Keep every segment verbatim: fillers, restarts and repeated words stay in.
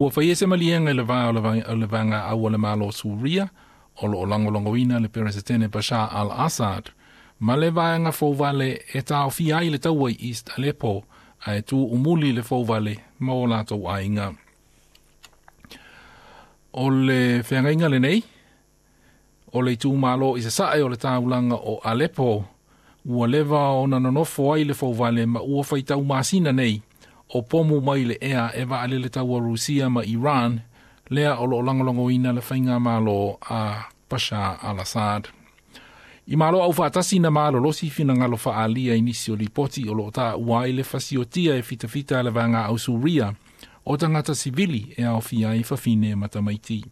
Ua faia se maliega i le va o le vaega au a le Malo o Suria o lo o lagolagoina le Peresetene Bashar al-Assad ma le vaega fouvale e taofia ai le taua i East Aleppo ae tuumuli le fouvale ma o latou aiga. O le feagaiga lenei, o le itumalo i sasae o le taulaga o Aleppo ua leva ona nonofo ai le fouvale ma ua faitau masina nei o pomu mai le ea e vaalele taua Rusia ma Iran lea o lo o lagolagoina le faigamalo a Bashar al-Assad. I Malo Aufaatasi na malolosi finagalo faaalia i nisi o lipoti o lo o taua ai le fasiotia e fitafita a le vaega au Suria o tagata sivili e aofia ai fafine ma tamaiti.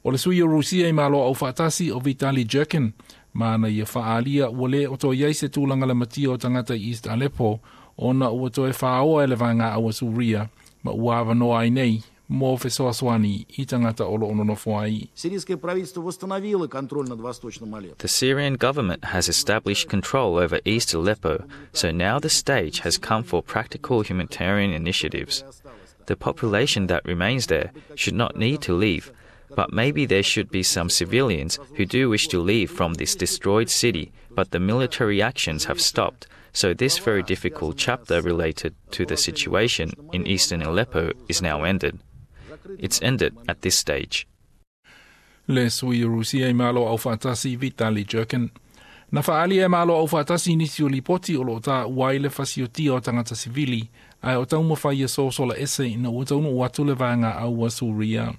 O le sui o Rusia i Malo Aufaatasi o Vitali Churkin ma na ia faaalia ua le o toe i ai se tulaga lamatia o tagata i East Aleppo ona ua toe faaoa e le vaega au a Suria ma ua avanoa ai nei mo fesoasoani i tagata o lo o nonofo ai. Сирийское правительство восстановило контроль над Восточным Алеппо. The Syrian government has established control over East Aleppo, so now the stage has come for practical humanitarian initiatives. The population that remains there should not need to leave, but maybe there should be some civilians who do wish to leave from this destroyed city, but the military actions have stopped, so this very difficult chapter related to the situation in eastern Aleppo is now ended. It's ended at this stage. Le sui o Rusia i Malo Aufaatasi Vitali Churkin. Na faaalia e Malo Aufaatasi nisi o lipoti o lo o taua ai le fasiotia o tagata sivili ae o taumafai e sosola ese ina ua taunuu atu le vaega au a Suria.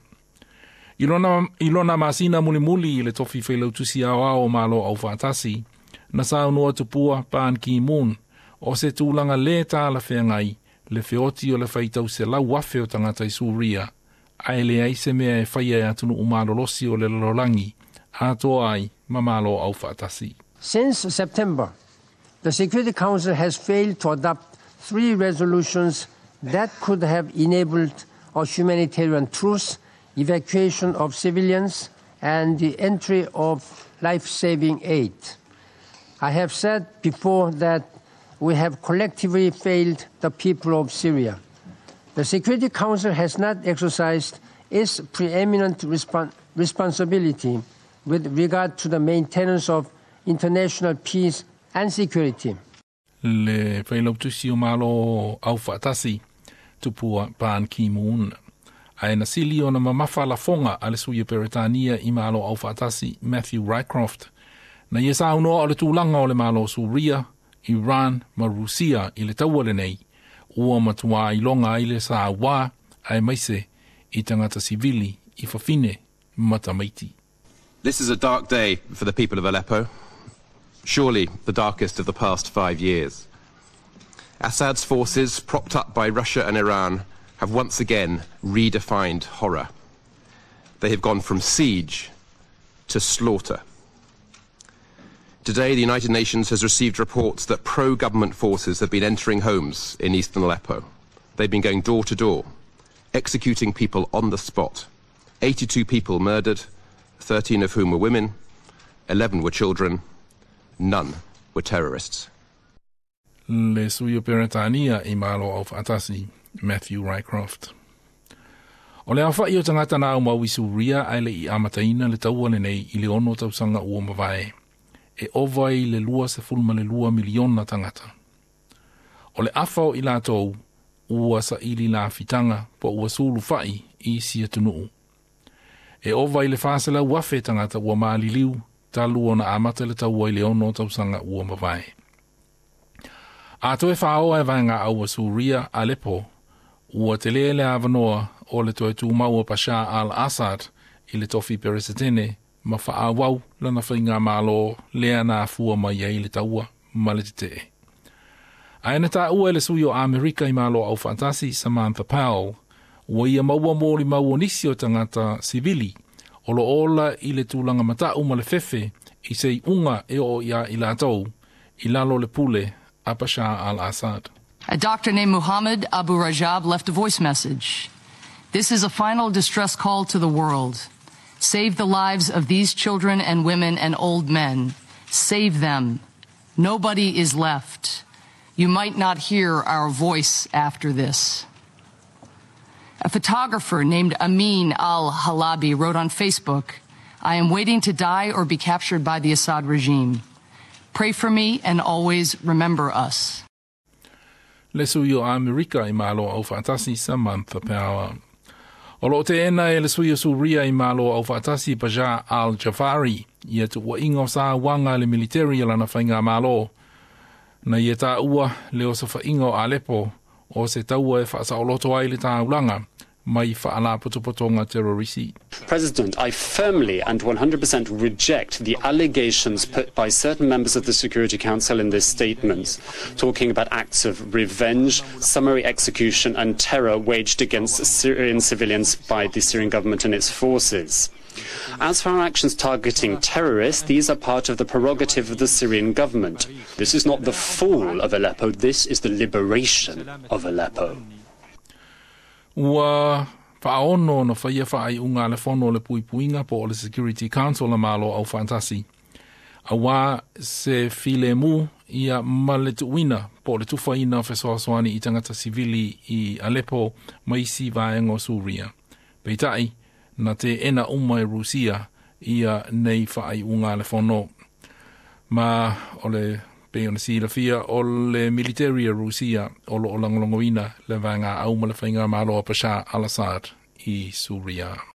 I lona, i lona masina mulimuli i le tofi failautusi aoao o Malo Aufaatasi, na saunoa tupua Ban Ki-moon o se tulaga le talafeagai le feoti o le faitau selau afe o tagata i Suria, ae leai se mea e faia e atunuu malolosi o le lalolagi, atoa ai ma Malo Aufaatasi. Since September, the Security Council has failed to adopt three resolutions that could have enabled a humanitarian truce, evacuation of civilians, and the entry of life-saving aid. I have said before that we have collectively failed the people of Syria. The Security Council has not exercised its preeminent respon- responsibility with regard to the maintenance of international peace and security. Le failautusi o Malo Aufaatasi, tupua Ban Ki-moon. Ae na sili ona mamafa lafoga a le sui o Peretania i Malo Aufaatasi Matthew Rycroft. Na ia saunoa o le tulaga o le Malo o Suria, Iran ma Rusia i le taua lenei, ua matua iloga ai le sauā aemaise i tagata sivili i fafine ma tamaiti. This is a dark day for the people of Aleppo, surely the darkest of the past five years. Assad's forces, propped up by Russia and Iran, have once again redefined horror. They have gone from siege to slaughter. Today, the United Nations has received reports that pro-government forces have been entering homes in eastern Aleppo. They've been going door to door, executing people on the spot. eighty-two people murdered, thirteen of whom were women, eleven were children, none were terrorists. Le sui o Peretania i Malo Aufaatasi, Matthew Rycroft. O le aofai o tagata na aumau i Suria ae le i amataina le taua lenei i le ono tausaga ua mavae, e ova i le luasefulu ma le lua miliona tagata. O le afa o i latou ua saili lafitaga po ua sulufai i isi atunuu. E ova i le faselau afe tagata ua maliliu talu ona amata le taua i le ono tausaga ua mavae. A toe faaoa e vaega au a Suria Aleppo, ua tele le avanoa o le toe tumau o Bashar al-Assad i le tofi peresetene ma faaauau lana faigamalo lea na afua mai ai le taua ma le tetee. Ae na taua e le sui o Amerika i Malo Aufaatasi Samantha Powell, ua ia maua molimau o nisi o tagata sivili o lo o ola i le tulaga matau ma le fefe i se iuga e oo ia i latou i lalo o le pule a Bashar al-Assad. A doctor named Muhammad Abu Rajab left a voice message. This is a final distress call to the world. Save the lives of these children and women and old men. Save them. Nobody is left. You might not hear our voice after this. A photographer named Amin al Halabi wrote on Facebook, I am waiting to die or be captured by the Assad regime. Pray for me and always remember us. Le sui o Amerika i Malo Aufaatasi Samantha Power. O loo teena e le sui o Suria i Malo Aufaatasi Bashar al-Jafari ia tuuaiga o sa uaga le militeri a lana faigamalo. Na ia taua le osofaiga o Alepo o se taua e faasaoloto ai le taulaga mai faalapotopotoga terorisi. President, I firmly and one hundred percent reject the allegations put by certain members of the Security Council in this statement, talking about acts of revenge, summary execution and terror waged against Syrian civilians by the Syrian government and its forces. As for our actions targeting terrorists, these are part of the prerogative of the Syrian government. This is not the fall of Aleppo, this is the liberation of Aleppo. Ua faaono na faia faaiuga a le fono o le puipuiga po o le Security Council a Malo Aufaatasi. Auā se filemu ia ma le tuuina po o le tufaina o fesoasoani i tagata sivili i Aleppo ma isi vaega o Suria. Peitai, na teena uma e Rusia ia nei faaiuga a le fono. Ma o le pei ona silafia o le military a Rusia o loo lagolagoina le vaegaau ma le faigamalo a Bashar al-Assad i Suria.